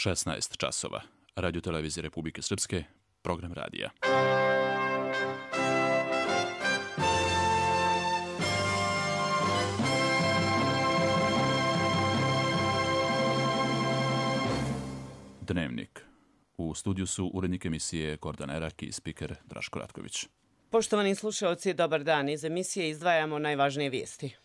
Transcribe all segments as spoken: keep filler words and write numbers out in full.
šesnaest časova. Radio televizije Republike Srpske, program radija. Dnevnik. U studiju su urednik emisije Gordana Erak i spiker Draško Ratković. Poštovani slušalci, dobar dan. Iz emisije izdvajamo najvažnije vijesti.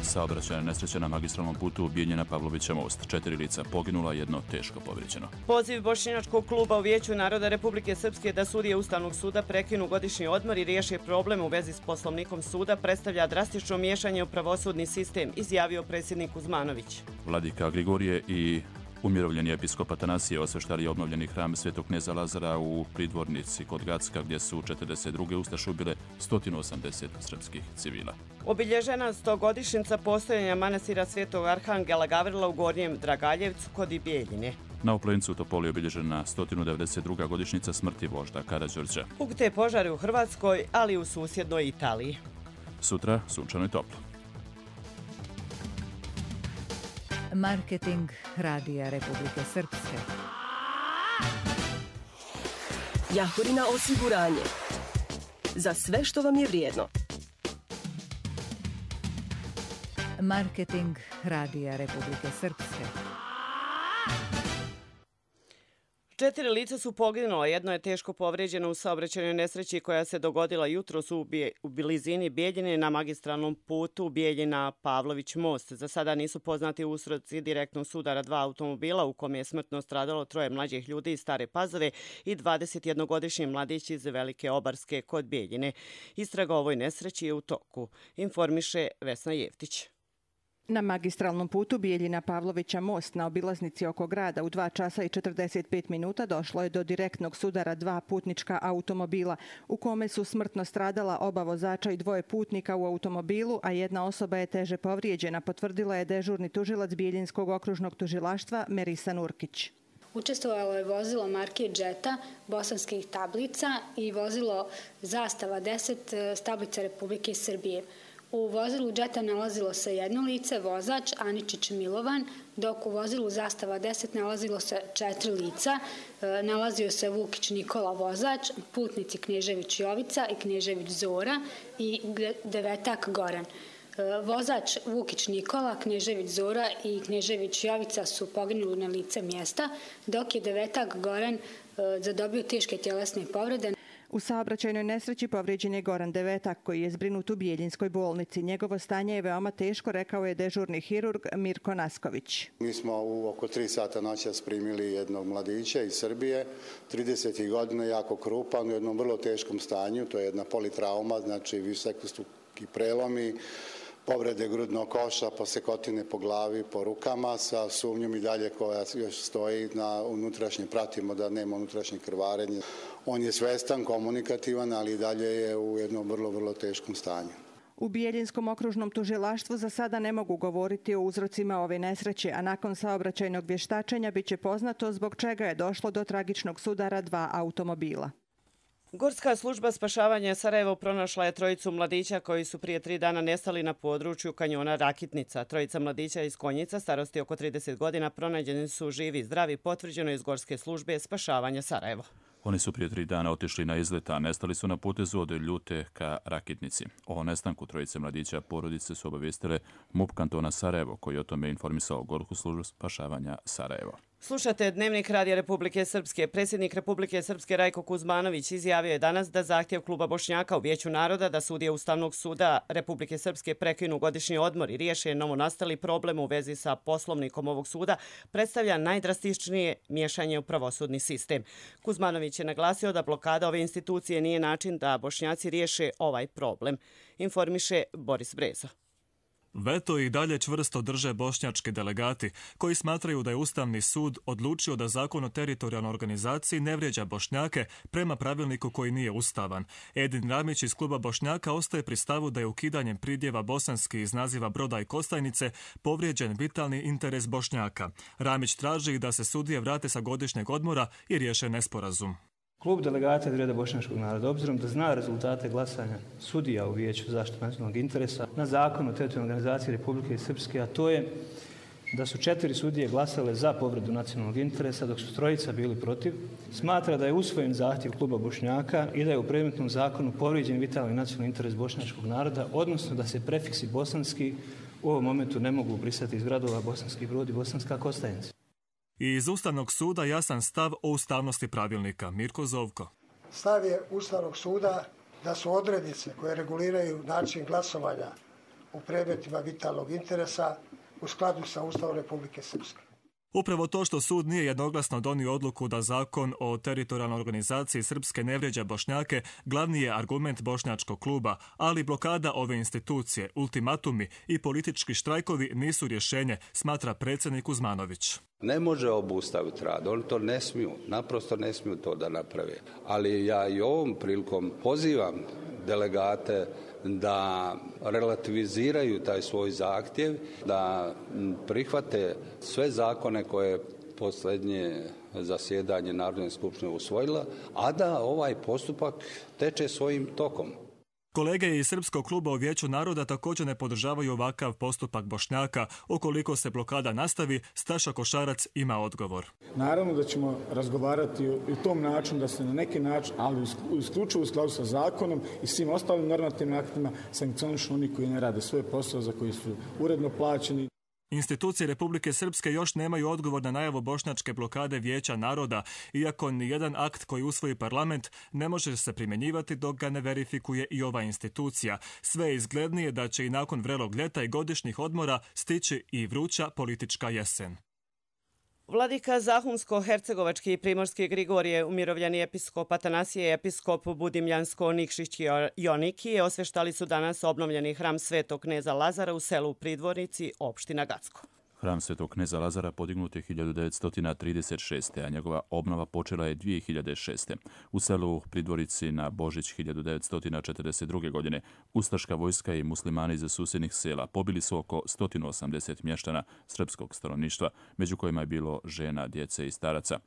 Saobraćajna nesreća na magistralnom putu Bijeljina Pavlovića most. Četiri lica poginula, jedno teško povrijeđeno. Poziv Bošnjačkog kluba u Vijeću naroda Republike Srpske da sudije Ustavnog suda prekinu godišnji odmor i riješe problem u vezi s poslovnikom suda predstavlja drastično miješanje u pravosudni sistem, izjavio predsjednik Kuzmanović. Vladika Grigorije i umirovljeni episkop Atanasije osveštali obnovljeni hram Svetog kneza Lazara u Pridvornici kod Gacka, gdje su četrdeset druge ustaše ubile sto osamdeset srpskih civila. Obilježena stogodišnjica postojanja manastira Svetog Arhangela Gavrila u Gornjem Dragaljevcu kod Bijeljine. Na Oplencu u Topoli obilježena sto devedeset druga godišnjica smrti vožda Karađorđa. Pukte požari u Hrvatskoj, ali i u susjednoj Italiji. Sutra sunčano i toplo. Marketing Radija Republike Srpske. Jahorina osiguranje. Za sve što vam je vrijedno. Marketing Radija Republike Srpske. Četiri lica su poginula, jedno je teško povrijeđeno u saobraćajnoj nesreći koja se dogodila jutros u, bije, u blizini Bijeljine na magistralnom putu Bijeljina Pavlović most. Za sada nisu poznati uzroci direktnog sudara dva automobila u kome je smrtno stradalo troje mlađih ljudi iz Stare Pazove i dvadesetjednogodišnji mladić iz Velike Obarske kod Bijeljine. Istraga o ovoj nesreći je u toku, informiše Vesna Jeftić. Na magistralnom putu Bijeljina Pavlovića most na obilaznici oko grada u dva časa i četrdeset pet minuta došlo je do direktnog sudara dva putnička automobila u kome su smrtno stradala oba vozača i dvoje putnika u automobilu, a jedna osoba je teže povrijeđena, potvrdila je dežurni tužilac Bijeljinskog okružnog tužilaštva Merisa Nurkić. Učestvovalo je vozilo marke Jetta, bosanskih tablica i vozilo Zastava deset s tablica Republike Srbije. U vozilu Jetta nalazilo se jedno lice, vozač Aničić Milovan, dok u vozilu Zastava deset nalazilo se četiri lica. Nalazio se Vukić Nikola, vozač, putnici Knežević Jovica i Knežević Zora i Devetak Goran. Vozač Vukić Nikola, Knežević Zora i Knežević Jovica su poginuli na lice mjesta, dok je Devetak Goran zadobio teške tjelesne povrede. U saobraćajnoj nesreći povrijeđen je Goran Devetak, koji je zbrinut u Bijeljinskoj bolnici. Njegovo stanje je veoma teško, rekao je dežurni hirurg Mirko Nasković. Mi smo u oko tri sata noćas primili jednog mladića iz Srbije, trideset godina, jako krupan, u jednom vrlo teškom stanju. To je jedna politrauma, znači višestruki prelomi, povrede grudnog koša, posekotine po glavi, po rukama, sa sumnjom i dalje koja još stoji na unutrašnje, pratimo da nema unutrašnje krvarenje. On je svestan, komunikativan, ali i dalje je u jednom vrlo, vrlo teškom stanju. U Bijeljinskom okružnom tužilaštvu za sada ne mogu govoriti o uzrocima ove nesreće, a nakon saobraćajnog vještačenja biće poznato zbog čega je došlo do tragičnog sudara dva automobila. Gorska služba spašavanja Sarajevo pronašla je trojicu mladića koji su prije tri dana nestali na području kanjona Rakitnica. Trojica mladića iz Konjica, starosti oko trideset godina, pronađeni su živi i zdravi, potvrđeno iz Gorske službe spašavanja Sarajevo. Oni su prije tri dana otišli na izlet, a nestali su na putezu od Ljute ka Rakitnici. O nestanku trojice mladića porodice su obavijestile MUP kantona Sarajevo, koji je o tome informisao Gorsku službu spašavanja Sarajevo. Slušate Dnevnik Radija Republike Srpske. Predsjednik Republike Srpske Rajko Kuzmanović izjavio je danas da zahtjev kluba Bošnjaka u Vijeću naroda da sudije Ustavnog suda Republike Srpske prekinu godišnji odmor i riješe novonastali problem u vezi sa poslovnikom ovog suda predstavlja najdrastičnije miješanje u pravosudni sistem. Kuzmanović je naglasio da blokada ove institucije nije način da Bošnjaci riješe ovaj problem, informiše Boris Breza. Veto i dalje čvrsto drže bošnjački delegati, koji smatraju da je Ustavni sud odlučio da zakon o teritorijalnoj organizaciji ne vrijeđa Bošnjake prema pravilniku koji nije ustavan. Edin Ramić iz kluba Bošnjaka ostaje pri stavu da je ukidanjem pridjeva bosanski iz naziva Broda i Kostajnice povrijeđen vitalni interes Bošnjaka. Ramić traži da se sudije vrate sa godišnjeg odmora i riješe nesporazum. Klub delegata iz reda bošnjačkog naroda, obzirom da zna rezultate glasanja sudija u Vijeću za zaštitu nacionalnog interesa na zakon o teritorijalnoj organizaciji Republike Srpske, a to je da su četiri sudije glasale za povredu nacionalnog interesa, dok su trojica bili protiv, smatra da je usvojen zahtjev kluba Bošnjaka i da je u predmetnom zakonu povrijeđen vitalni nacionalni interes bošnjačkog naroda, odnosno da se prefiksi bosanski u ovom momentu ne mogu brisati iz gradova Bosanski Brod i Bosanska Kostajnica. I iz Ustavnog suda jasan stav o ustavnosti pravilnika. Mirko Zovko. Stav je Ustavnog suda da su odrednice koje reguliraju način glasovanja u predmetima vitalnog interesa u skladu sa Ustavom Republike Srpske. Upravo to što sud nije jednoglasno donio odluku da zakon o teritorijalnoj organizaciji Srpske ne vrijeđa Bošnjake, glavni je argument bošnjačkog kluba, ali blokada ove institucije, ultimatumi i politički štrajkovi nisu rješenje, smatra predsjednik Uzmanović. Ne može obustaviti rad, oni to ne smiju, naprosto ne smiju to da naprave. Ali ja i ovom prilikom pozivam delegate da relativiziraju taj svoj zahtjev, da prihvate sve zakone koje je posljednje zasjedanje Narodne skupštine usvojila, a da ovaj postupak teče svojim tokom. Kolege iz Srpskog kluba u Vijeću naroda također ne podržavaju ovakav postupak Bošnjaka. Ukoliko se blokada nastavi, Staša Košarac ima odgovor. Naravno da ćemo razgovarati u tom načinu da se na neki način, ali isključivo u skladu sa zakonom i svim ostalim normativnim aktima, sankcionišu oni koji ne rade svoj posao za koji su uredno plaćeni. Institucije Republike Srpske još nemaju odgovor na najavu bošnjačke blokade Vijeća naroda, iako nijedan akt koji usvoji parlament ne može se primjenjivati dok ga ne verifikuje i ova institucija. Sve je izglednije da će i nakon vrelog ljeta i godišnjih odmora stići i vruća politička jesen. Vladika Zahumsko-Hercegovački i Primorski Grigorije, umirovljeni episkop Atanasije i episkop Budimljansko-Nikšić Joniki osveštali su danas obnovljeni hram Svetog kneza Lazara u selu Pridvornici, opština Gacko. Hram Svetog kneza Lazara podignut je hiljadu devetsto trideset šeste. a njegova obnova počela je dvije hiljade šeste. U selu Pridvorici na Božić hiljadu devetsto četrdeset druge. godine ustaška vojska i muslimani iz susjednih sela pobili su oko sto osamdeset mještana srpskog stanovništva, među kojima je bilo žena, djece i staraca.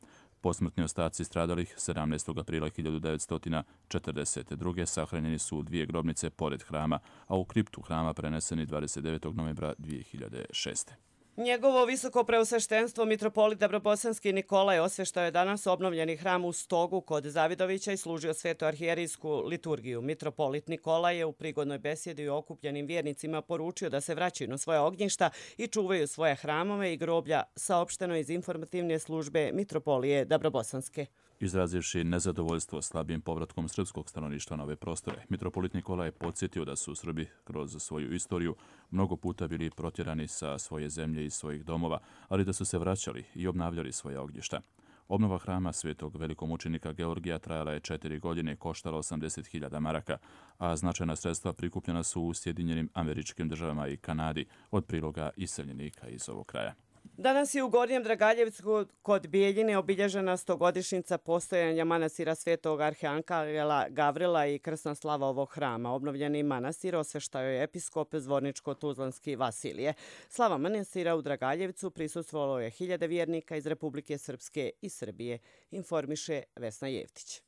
Posmrtni ostaci stradalih sedamnaestog aprila hiljadu devetsto četrdeset druge. sahranjeni su u dvije grobnice pored hrama, a u kriptu hrama preneseni dvadeset devetog novembra dvije hiljade šeste. Njegovo visoko preosveštenstvo mitropolit Dabrobosanski Nikolaj osveštao je danas obnovljeni hram u Stogu kod Zavidovića i služio svetu arhijerijsku liturgiju. Mitropolit Nikolaj je u prigodnoj besjedi o okupljenim vjernicima poručio da se vraćaju na svoje ognjišta i čuvaju svoje hramove i groblja, saopšteno iz informativne službe Mitropolije Dabrobosanske. Izrazivši nezadovoljstvo slabijim povratkom srpskog stanovništva na ove prostore, mitropolit Nikola je podsjetio da su Srbi kroz svoju istoriju mnogo puta bili protjerani sa svoje zemlje i svojih domova, ali da su se vraćali i obnavljali svoje ognjišta. Obnova hrama svetog velikomučenika Georgija trajala je četiri godine i koštala osamdeset hiljada maraka, a značajna sredstva prikupljena su u Sjedinjenim Američkim Državama i Kanadi od priloga iseljenika iz ovog kraja. Danas je u Gornjem Dragaljevcu kod Bijeljine obilježena stogodišnjica postojanja manastira Svetog arhangela Gavrila i krsna slava ovog hrama. Obnovljeni manastir osveštao je episkop Zvorničko-Tuzlanski Vasilije. Slava manastira u Dragaljevcu prisustvovalo je hiljade vjernika iz Republike Srpske i Srbije, informiše Vesna Jevtić.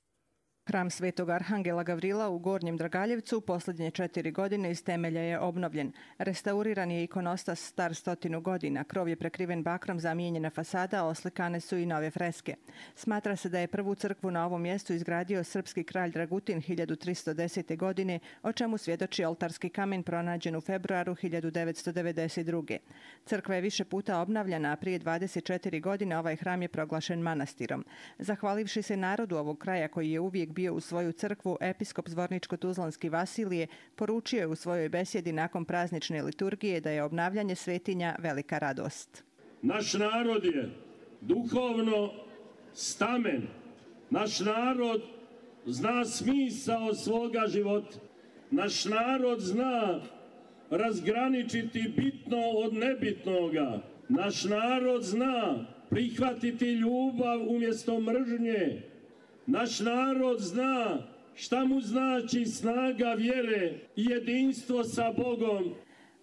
Hram Svetog arhangela Gavrila u Gornjem Dragaljevcu u posljednje četiri godine iz temelja je obnovljen. Restauriran je ikonostas star stotinu godina, krov je prekriven bakrom, zamijenjena fasada, oslikane su i nove freske. Smatra se da je prvu crkvu na ovom mjestu izgradio srpski kralj Dragutin hiljadu tristo desete. godine, o čemu svjedoči oltarski kamen pronađen u februaru hiljadu devetsto devedeset druge. Crkva je više puta obnavljana, a prije dvadeset četiri godine ovaj hram je proglašen manastirom. Zahvalivši se narodu ovog kraja koji je uvijek bio u svoju crkvu, episkop Zvorničko-Tuzlanski Vasilije poručio je u svojoj besjedi nakon praznične liturgije da je obnavljanje svetinja velika radost. Naš narod je duhovno stamen. Naš narod zna smisao svoga života. Naš narod zna razgraničiti bitno od nebitnoga. Naš narod zna prihvatiti ljubav umjesto mržnje. Naš narod zna šta mu znači snaga vjere i jedinstvo sa Bogom.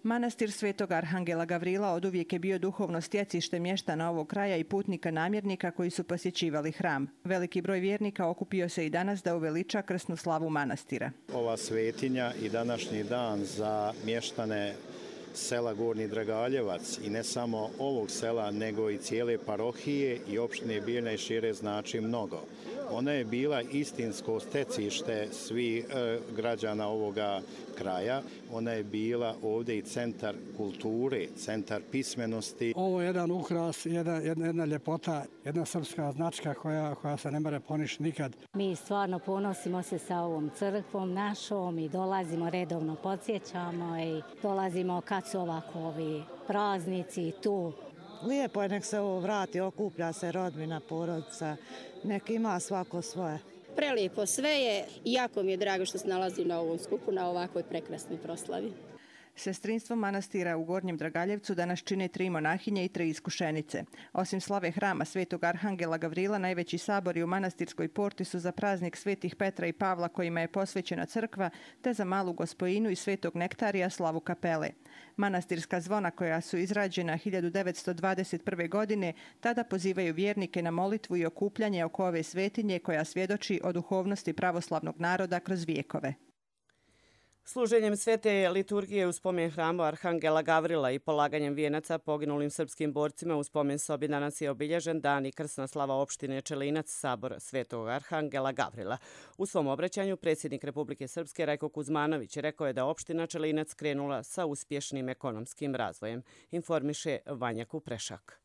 Manastir Svetog Arhangela Gavrila oduvijek je bio duhovno stjecište mještana ovog kraja i putnika namjernika koji su posjećivali hram. Veliki broj vjernika okupio se i danas da uveliča krsnu slavu manastira. Ova svetinja i današnji dan za mještane sela Gornji Dragaljevac i ne samo ovog sela, nego i cijele parohije i opštine Bijeljina i šire znači mnogo. Ona je bila istinsko stecište svih e, građana ovoga kraja. Ona je bila ovdje i centar kulture, centar pismenosti. Ovo je jedan ukras, jedna, jedna, jedna ljepota, jedna srpska značka koja, koja se ne more poništi nikad. Mi stvarno ponosimo se sa ovom crkvom našom i dolazimo redovno, podsjećamo i dolazimo kad su ovako ovi praznici tu. Lijepo je, nek se ovo vrati, okuplja se rodbina, porodica, nek ima svako svoje. Prelijepo sve je i jako mi je drago što se nalazim na ovom skupu, na ovakvoj prekrasnoj proslavi. Sestrinstvo manastira u Gornjem Dragaljevcu danas čine tri monahinje i tri iskušenice. Osim slave hrama Svetog Arhangela Gavrila, najveći sabori u manastirskoj porti su za praznik Svetih Petra i Pavla kojima je posvećena crkva, te za Malu Gospojinu i Svetog Nektarija slavu kapele. Manastirska zvona koja su izrađena hiljadu devetsto dvadeset prve. godine tada pozivaju vjernike na molitvu i okupljanje oko ove svetinje koja svjedoči o duhovnosti pravoslavnog naroda kroz vijekove. Služenjem svete liturgije u spomen hramu Arhangela Gavrila i polaganjem vijenaca poginulim srpskim borcima u spomen sobi danas je obilježen dan i krsna slava opštine Čelinac, sabor Svetog Arhangela Gavrila. U svom obraćanju predsjednik Republike Srpske Rajko Kuzmanović rekao je da opština Čelinac krenula sa uspješnim ekonomskim razvojem, informiše Vanja Kuprešak.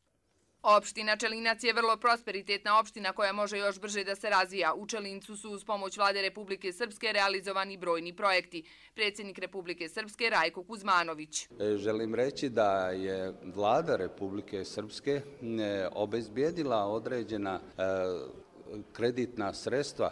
Opština Čelinac je vrlo prosperitetna opština koja može još brže da se razvija. U Čelincu su uz pomoć Vlade Republike Srpske realizovani brojni projekti. Predsjednik Republike Srpske Rajko Kuzmanović. Želim reći da je Vlada Republike Srpske obezbijedila određena kreditna sredstva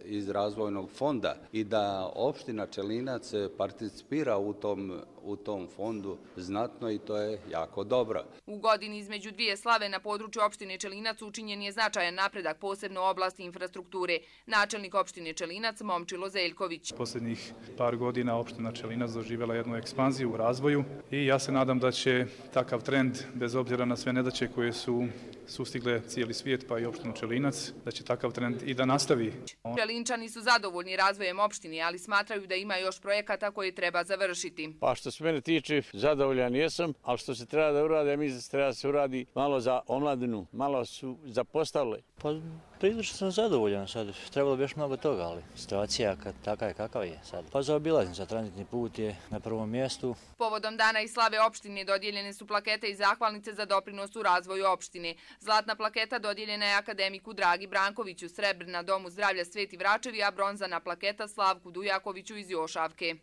iz razvojnog fonda i da opština Čelinac participira u tom, u tom fondu znatno i to je jako dobro. U godini između dvije slave na području opštine Čelinac učinjen je značajan napredak, posebno u oblasti infrastrukture. Načelnik opštine Čelinac Momčilo Zeljković. Posljednjih par godina opština Čelinac doživjela jednu ekspanziju u razvoju i ja se nadam da će takav trend, bez obzira na sve nedaće koje su sustigle cijeli svijet pa i opštinu Čelinac, da će takav trend i da nastavi. Čelinčani su zadovoljni razvojem opštine, ali smatraju da ima još projekata koje treba završiti. Pa što se mene tiče, zadovoljan jesam, ali što se treba da uradi, mislim da se treba da se uradi malo za omladinu, malo su zapostavili. Pa prilično sam zadovoljan sad, trebalo bi još mnogo toga, ali situacija takav je kakav je sad. Pa za obilaznica, tranzitni put je na prvom mjestu. Povodom dana i slave opštine dodijeljene su plakete i zahvalnice za doprinos u razvoju opštine. Zlatna plaketa dodijeljena je akademiku Dragi Brankoviću, srebrna Domu zdravlja Sveti Vračevi, a bronzana plaketa Slavku Dujakoviću iz Jošavke.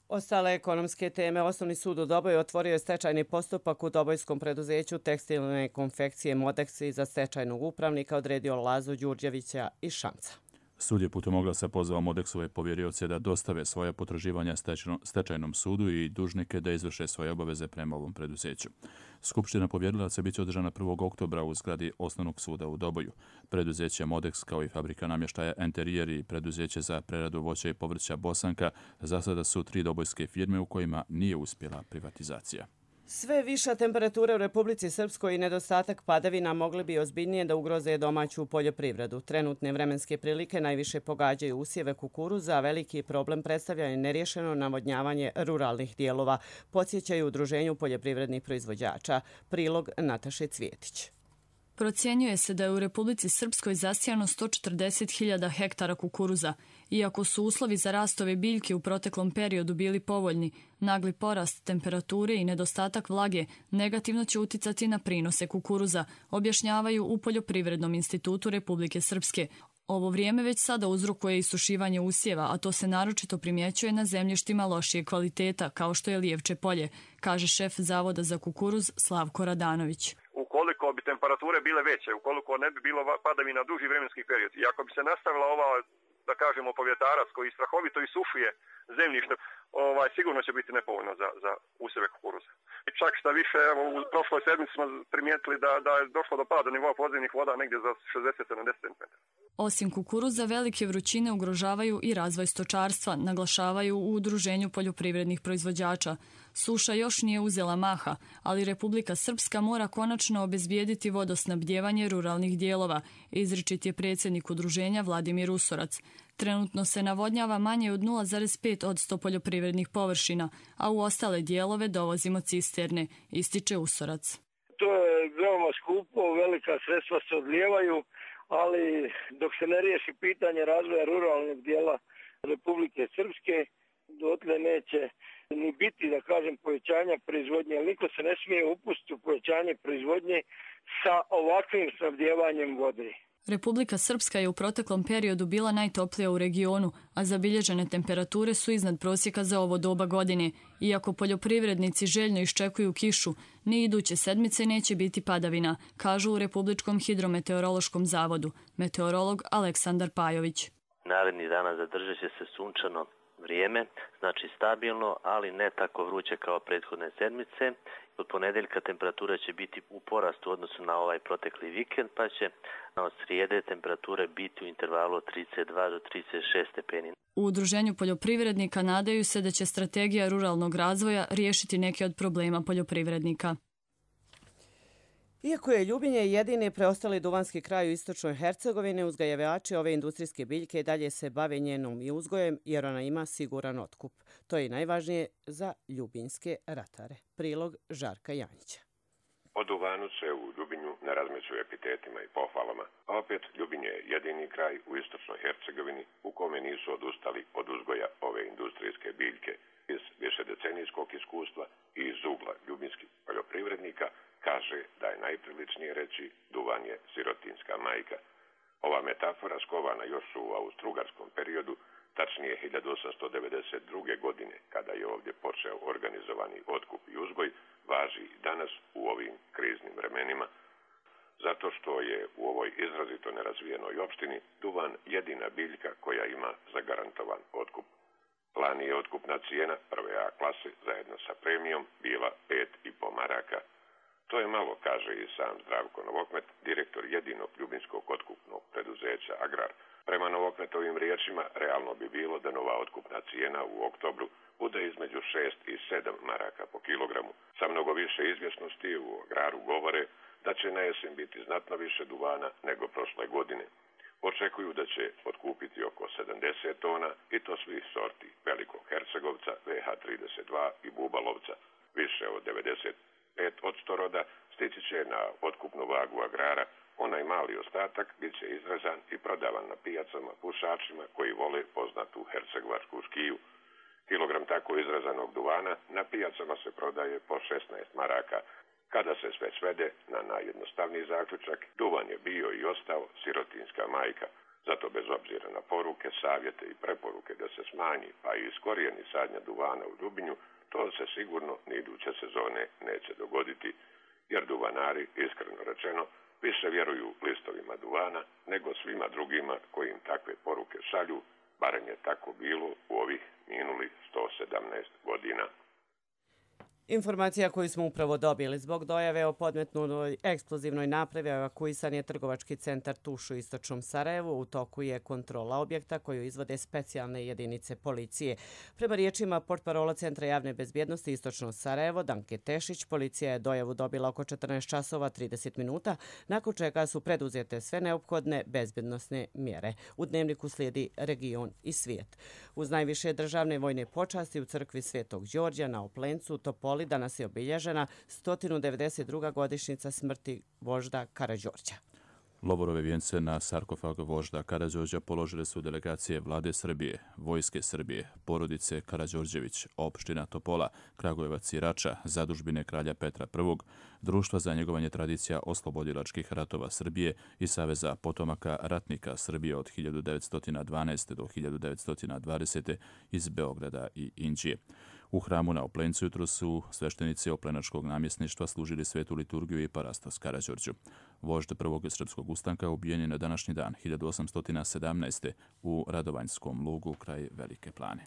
Ostale ekonomske teme. Osnovni sud u Doboju otvorio je stečajni postupak u dobojskom preduzeću tekstilne konfekcije Modex i za stečajnog upravnika odredio Lazu Đurđevića iz Šamca. Sud je putem oglasa pozvao Modexove povjerioce da dostave svoje potraživanja stečajnom sudu i dužnike da izvrše svoje obaveze prema ovom preduzeću. Skupština povjerilaca bit će održana prvog oktobra u zgradi Osnovnog suda u Doboju. Preduzeće Modex kao i fabrika namještaja Enterijer i preduzeće za preradu voća i povrća Bosanka za sada su tri dobojske firme u kojima nije uspjela privatizacija. Sve viša temperatura u Republici Srpskoj i nedostatak padavina mogli bi ozbiljnije da ugroze domaću poljoprivredu. Trenutne vremenske prilike najviše pogađaju usjeve kukuruza, a veliki problem predstavlja i neriješeno navodnjavanje ruralnih dijelova, podsjećaju Udruženju poljoprivrednih proizvođača. Prilog Nataše Cvjetić. Procjenjuje se da je u Republici Srpskoj zasijano sto četrdeset hiljada hektara kukuruza. Iako su uslovi za rastove biljke u proteklom periodu bili povoljni, nagli porast temperature i nedostatak vlage negativno će uticati na prinose kukuruza, objašnjavaju u Poljoprivrednom institutu Republike Srpske. Ovo vrijeme već sada uzrokuje isušivanje usjeva, a to se naročito primjećuje na zemljištima lošije kvaliteta, kao što je Lijevče polje, kaže šef Zavoda za kukuruz Slavko Radanović. Ukoliko bi temperature bile veće, ukoliko ne bi bilo padavina duži vremenski period i ako bi se nastavila ova, da kažemo, povjetarac koji strahovito isušuje zemljište, ovaj, sigurno će biti nepovoljno za, za usjeve kukuruza. I čak šta više, evo, u prošloj sedmici smo primijetili da, da je došlo do pada nivoa podzemnih voda negdje za šezdeset do sedamdeset centimetara. Osim kukuruza, velike vrućine ugrožavaju i razvoj stočarstva, naglašavaju u Udruženju poljoprivrednih proizvođača. Suša još nije uzela maha, ali Republika Srpska mora konačno obezbijediti vodosnabdjevanje ruralnih dijelova, izričit je predsjednik udruženja Vladimir Usorac. Trenutno se navodnjava manje od nula zarez pet posto poljoprivrednih površina, a u ostale dijelove dovozimo cisterne, ističe Usorac. To je veoma skupo, velika sredstva se odlijevaju, ali dok se ne riješi pitanje razvoja ruralnog dijela Republike Srpske, dotle neće ni biti, da kažem, povećanja proizvodnje. Niko se ne smije upustiti u povećanje proizvodnje sa ovakvim snabdjevanjem vode. Republika Srpska je u proteklom periodu bila najtoplija u regionu, a zabilježene temperature su iznad prosjeka za ovo doba godine. Iako poljoprivrednici željno iščekuju kišu, ni iduće sedmice neće biti padavina, kažu u Republičkom hidrometeorološkom zavodu. Meteorolog Aleksandar Pajović. Narednih dana zadržat će se sunčano vrijeme, znači stabilno, ali ne tako vruće kao prethodne sedmice. Od ponedeljka temperatura će biti u porastu u odnosu na ovaj protekli vikend, pa će od srijede temperature biti u intervalu od trideset dva do trideset šest stepeni. U Udruženju poljoprivrednika nadaju se da će strategija ruralnog razvoja riješiti neke od problema poljoprivrednika. Iako je Ljubinje jedini preostali duvanski kraj u istočnoj Hercegovini, uzgajivači ove industrijske biljke dalje se bave njenom i uzgojem jer ona ima siguran otkup. To je najvažnije za ljubinjske ratare. Prilog Žarka Janjića. O duvanu se u Ljubinju ne razmeću epitetima i pohvalama, a opet Ljubinje je jedini kraj u istočnoj Hercegovini u kome nisu odustali od uzgoja ove industrijske biljke. Iz višedecenijskog iskustva i iz ugla ljubinskih poljoprivrednika kaže da je najpriličnije reći duvan je sirotinska majka. Ova metafora skovana još u austrougarskom periodu, tačnije hiljadu osamsto devedeset druge. godine, kada je ovdje počeo organizovani otkup i uzgoj, važi i danas u ovim kriznim vremenima. Zato što je u ovoj izrazito nerazvijenoj opštini duvan jedina biljka koja ima zagarantovan otkup. Lani je otkupna cijena prve A klase zajedno sa premijom bila pet i po maraka. To je malo, kaže i sam Zdravko Novokmet, direktor jedinog ljubinskog otkupnog preduzeća Agrar. Prema Novokmetovim riječima, realno bi bilo da nova otkupna cijena u oktobru bude između šest i sedam maraka po kilogramu. Sa mnogo više izvjesnosti u Agraru govore da će na jesen biti znatno više duvana nego prošle godine. Očekuju da će otkupiti oko sedamdeset tona i to svih sorti velikog hercegovca, V H trideset dva i bubalovca. Više od devedeset pet posto roda stići će na otkupnu vagu Agrara. Onaj mali ostatak bit će izrezan i prodavan na pijacama pušačima koji vole poznatu hercegovačku škiju. Kilogram tako izrezanog duvana na pijacama se prodaje po šesnaest maraka. Kada se sve svede na najjednostavniji zaključak, duvan je bio i ostao sirotinska majka. Zato bez obzira na poruke, savjete i preporuke da se smanji pa i iskorijeni sadnja duvana u Ljubinju, to se sigurno ni iduće sezone neće dogoditi, jer duvanari, iskreno rečeno, više vjeruju listovima duvana nego svima drugima koji im takve poruke šalju, barem je tako bilo u ovih minulih sto sedamnaest godina. Informacija koju smo upravo dobili zbog dojave o podmetnutoj eksplozivnoj napravi evakuisan je trgovački centar Tuš u istočnom Sarajevu. U toku je kontrola objekta koju izvode specijalne jedinice policije. Prema riječima portparola Centra javne bezbjednosti istočnog Sarajevo, Danke Tešić, policija je dojavu dobila oko četrnaest časova trideset minuta, nakon čega su preduzete sve neophodne bezbjednosne mjere. U dnevniku slijedi region i svijet. Uz najviše državne vojne počasti u crkvi Svetog Đorđa na Oplencu, Topoli, danas je obilježena sto devedeset druga godišnjica smrti vožda Karađorđa. Lovorove vijence na sarkofag vožda Karađorđa položile su delegacije Vlade Srbije, Vojske Srbije, porodice Karađorđević, opština Topola, Kragujevac i Rača, zadužbine kralja Petra Prvog, Društva za njegovanje tradicija oslobodilačkih ratova Srbije i Saveza potomaka ratnika Srbije od hiljadu devetsto dvanaeste. do hiljadu devetsto dvadesete. iz Beograda i Inđije. U hramu na Oplencu jutro su sveštenici oplenačkog namjesništva služili svetu liturgiju i parastos Karađorđu. Vožd prvog srpskog ustanka ubijen je na današnji dan hiljadu osamsto sedamnaeste. u Radovanjskom lugu kraj Velike Plane.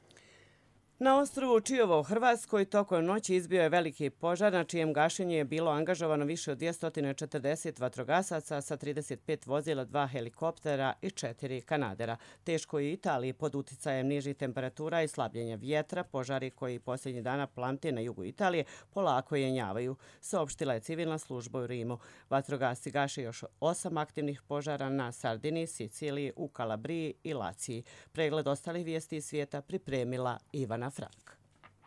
Na ostrvu Čiovo u Hrvatskoj tokom noći izbio je veliki požar na čijem gašenju je bilo angažovano više od dvjesto četrdeset vatrogasaca sa trideset pet vozila, dva helikoptera i četiri kanadera. Teško je u Italiji pod uticajem nižih temperatura i slabljenja vjetra. Požari koji posljednjih dana plamte na jugu Italije polako jenjavaju, saopštila je civilna služba u Rimu. Vatrogasci gaše još osam aktivnih požara na Sardiniji, Siciliji, u Kalabriji i Laciji. Pregled ostalih vijesti iz svijeta pripremila Ivana Frank.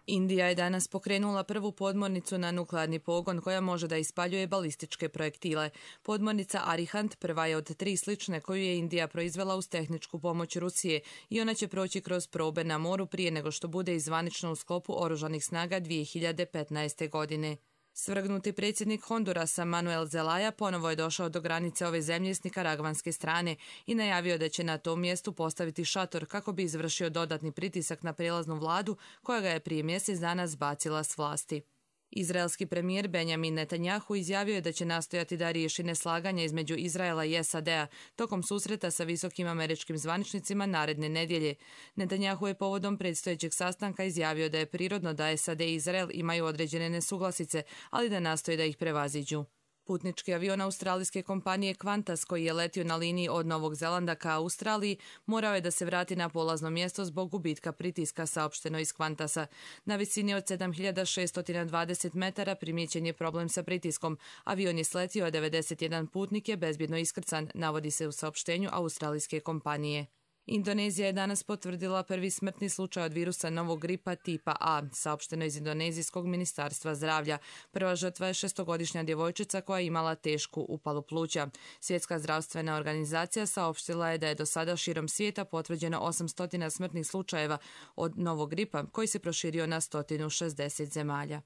Indija je danas pokrenula prvu podmornicu na nuklearni pogon koja može da ispaljuje balističke projektile. Podmornica Arihant prva je od tri slične koju je Indija proizvela uz tehničku pomoć Rusije i ona će proći kroz probe na moru prije nego što bude izvanično u sklopu oružanih snaga dvije hiljade petnaeste. godine. Svrgnuti predsjednik Hondurasa Manuel Zelaya ponovo je došao do granice ove zemlje s nikaragvanske strane i najavio da će na tom mjestu postaviti šator kako bi izvršio dodatni pritisak na prijelaznu vladu koja ga je prije mjesec dana zbacila s vlasti. Izraelski premijer Benjamin Netanjahu izjavio je da će nastojati da riješi neslaganje između Izraela i S A D-a tokom susreta sa visokim američkim zvaničnicima naredne nedjelje. Netanjahu je povodom predstojećeg sastanka izjavio da je prirodno da S A D i Izrael imaju određene nesuglasice, ali da nastoje da ih prevaziđu. Putnički avion australijske kompanije Qantas koji je letio na liniji od Novog Zelanda ka Australiji morao je da se vrati na polazno mjesto zbog gubitka pritiska, saopšteno iz Qantasa. Na visini od sedam hiljada šesto dvadeset metara primijećen je problem sa pritiskom. Avion je sletio, a devedeset jedan putnik je bezbjedno iskrcan, navodi se u saopštenju australijske kompanije. Indonezija je danas potvrdila prvi smrtni slučaj od virusa novog gripa tipa A, saopšteno iz Indonezijskog ministarstva zdravlja. Prva žrtva je šestogodišnja djevojčica koja je imala tešku upalu pluća. Svjetska zdravstvena organizacija saopštila je da je do sada širom svijeta potvrđeno osamsto smrtnih slučajeva od novog gripa koji se proširio na sto šezdeset zemalja.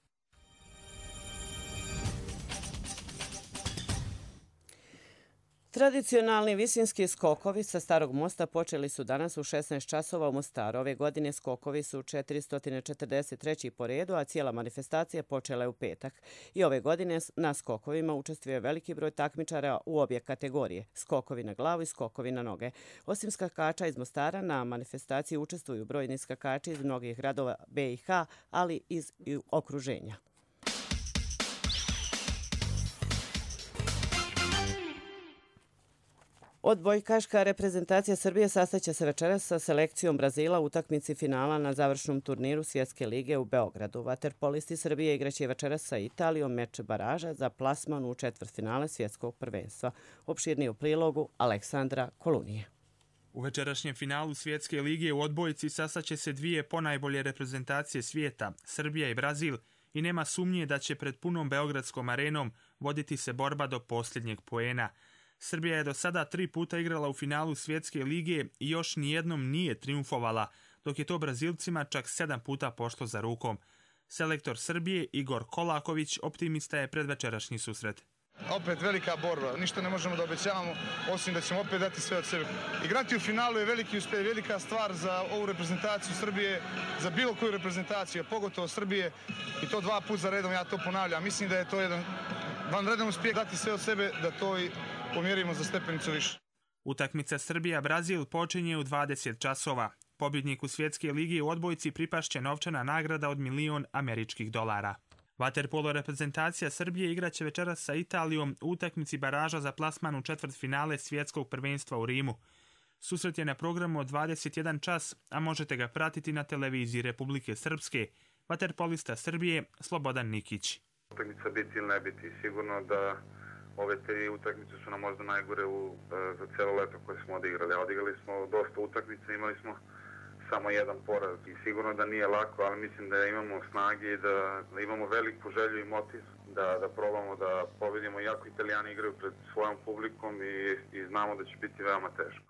Tradicionalni visinski skokovi sa Starog mosta počeli su danas u šesnaest časova u Mostaru. Ove godine skokovi su četiristo četrdeset treći po redu, a cijela manifestacija počela je u petak. I ove godine na skokovima učestvuje veliki broj takmičara u obje kategorije, skokovi na glavu i skokovi na noge. Osim skakača iz Mostara, na manifestaciji učestvuju brojni skakači iz mnogih gradova B i H, ali iz okruženja. Odbojkaška reprezentacija Srbije sastaće se večeras sa selekcijom Brazila u utakmici finala na završnom turniru Svjetske lige u Beogradu. Vaterpolisti Srbije igraće večeras sa Italijom meč baraža za plasman u četvrtfinale Svjetskog prvenstva. Opširniji u prilogu Aleksandra Kolunije. U večerašnjem finalu Svjetske lige u odbojci sastaće se dvije ponajbolje reprezentacije svijeta, Srbija i Brazil, i nema sumnje da će pred punom beogradskom arenom voditi se borba do posljednjeg poena. Srbija je do sada tri puta igrala u finalu Svjetske lige i još nijednom nije triumfovala, dok je to Brazilcima čak sedam puta pošlo za rukom. Selektor Srbije Igor Kolaković optimista je pred večerašnji susret. Opet velika borba, ništa ne možemo da obećavamo, osim da ćemo opet dati sve od sebe. Igrati u finalu je veliki uspjeh, velika stvar za ovu reprezentaciju Srbije, za bilo koju reprezentaciju, pogotovo Srbije, i to dva puta za redom, ja to ponavljam. Mislim da je to jedan vanredan uspjeh dati sve od sebe, da to i pomjerimo za stepenicu više. Utakmica Srbija-Brazil počinje u dvadeset časova. Pobjedniku Svjetske lige u odbojci pripašće novčana nagrada od milion američkih dolara. Vaterpolo reprezentacija Srbije igraće večeras sa Italijom u utakmici baraža za plasman u četvrtfinale Svjetskog prvenstva u Rimu. Susret je na programu od dvadeset jedan čas, a možete ga pratiti na televiziji Republike Srpske. Vaterpolista Srbije Slobodan Nikić. Utakmica biti ili ne biti, sigurno da ove tri utakmice su nam možda najgore u, za cijelo leto koje smo odigrali. Odigrali smo dosta utakmica, imali smo samo jedan poraz i sigurno da nije lako, ali mislim da imamo snage i da, da imamo veliku želju i motiv da, da probamo da pobedimo, iako Italijani igraju pred svojom publikom i, i znamo da će biti veoma teško.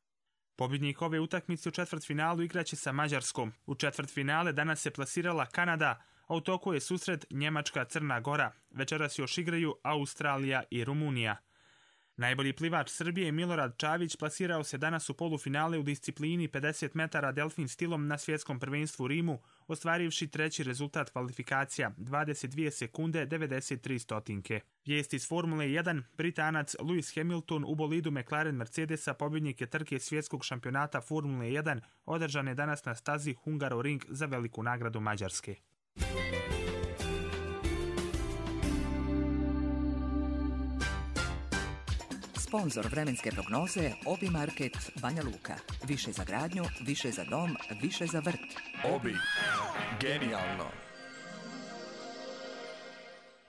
Pobjednik ove utakmice u četvrtfinalu igraće sa Mađarskom. U četvrtfinale danas se plasirala Kanada, a u toku je susret Njemačka-Crna Gora. Večeras još igraju Australija i Rumunija. Najbolji plivač Srbije Milorad Čavić plasirao se danas u polufinale u disciplini pedeset metara delfin stilom na svjetskom prvenstvu u Rimu, ostvarivši treći rezultat kvalifikacija dvadeset dvije sekunde devedeset tri stotinke. Vijest iz Formule jedan, Britanac Lewis Hamilton u bolidu McLaren Mercedesa pobjednik je trke svjetskog šampionata Formule jedan, održane danas na stazi Hungaroring za veliku nagradu Mađarske. Sponzor vremenske prognoze Obi Market Banja Luka. Više za gradnju, više za dom, više za vrt. Obi. Genijalno.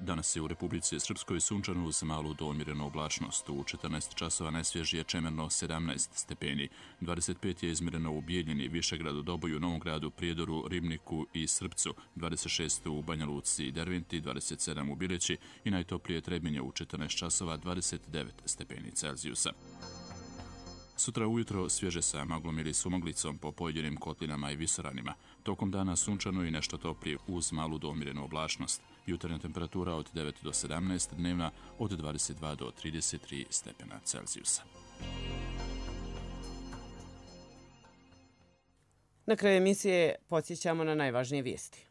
Danas je u Republici Srpskoj sunčano uz malu do umjerenu oblačnost. U četrnaest časova najsvježije čemerno sedamnaest stepeni. dvadeset pet je izmjereno u Bijeljini, Višegradu, Doboju, Novom Gradu, Prijedoru, Ribniku i Srpcu. dvadeset šest u Banja Luci i Derventi, dvadeset sedam u Bileći i najtoplije Trebinje u četrnaest časova dvadeset devet stepeni Celzijusa. Sutra ujutro svježe sa maglom ili sumoglicom po pojedinim kotlinama i visoranima. Tokom dana sunčano i nešto toplije uz malu do umjerenu oblačnost. Jutarnja temperatura od devet do sedamnaest, dnevna od dvadeset dva do trideset tri stepena Celzijusa. Na kraju emisije podsjećamo na najvažnije vijesti.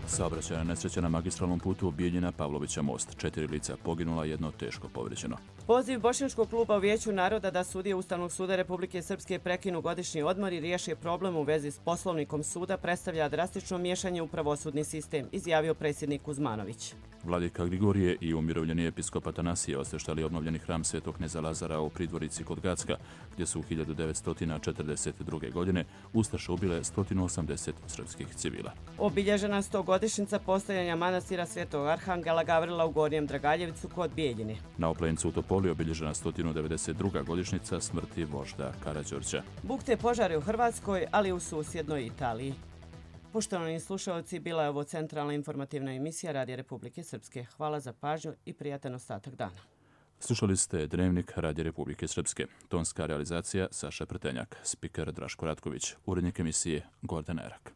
Saobraćajna nesreća na magistralnom putu Bijeljina Pavlovića most. Četiri lica poginula, jedno teško povrijeđeno. Poziv Bošnjačkog kluba u Vijeću naroda da sudije Ustavnog suda Republike Srpske prekinu godišnji odmor i riješe problem u vezi s poslovnikom suda predstavlja drastično miješanje u pravosudni sistem, izjavio predsjednik Kuzmanović. Vladika Grigorije i umirovljeni episkop Atanasije osveštali obnovljeni hram Svetog kneza Lazara u Pridvorici kod Gacka, gdje su u hiljadu devetsto četrdeset druge. godine ustaše ubile sto osamdeset srpskih civila. Obilježena stogodišnjica postojanja manastira Svetog Arhangela Gavrila u Gornjem Dragaljevcu kod Bijeljine. Na Oplencu u Topoli obilježena sto devedeset druga. godišnjica smrti vožda Karađorđa. Bukte požare u Hrvatskoj, ali i u susjednoj Italiji. Poštovani slušalci, bila je ovo centralna informativna emisija Radija Republike Srpske. Hvala za pažnju i prijatan ostatak dana. Slušali ste Dnevnik Radija Republike Srpske. Tonska realizacija Saša Pretenjak, spiker Draško Ratković, urednik emisije Gordan Erak.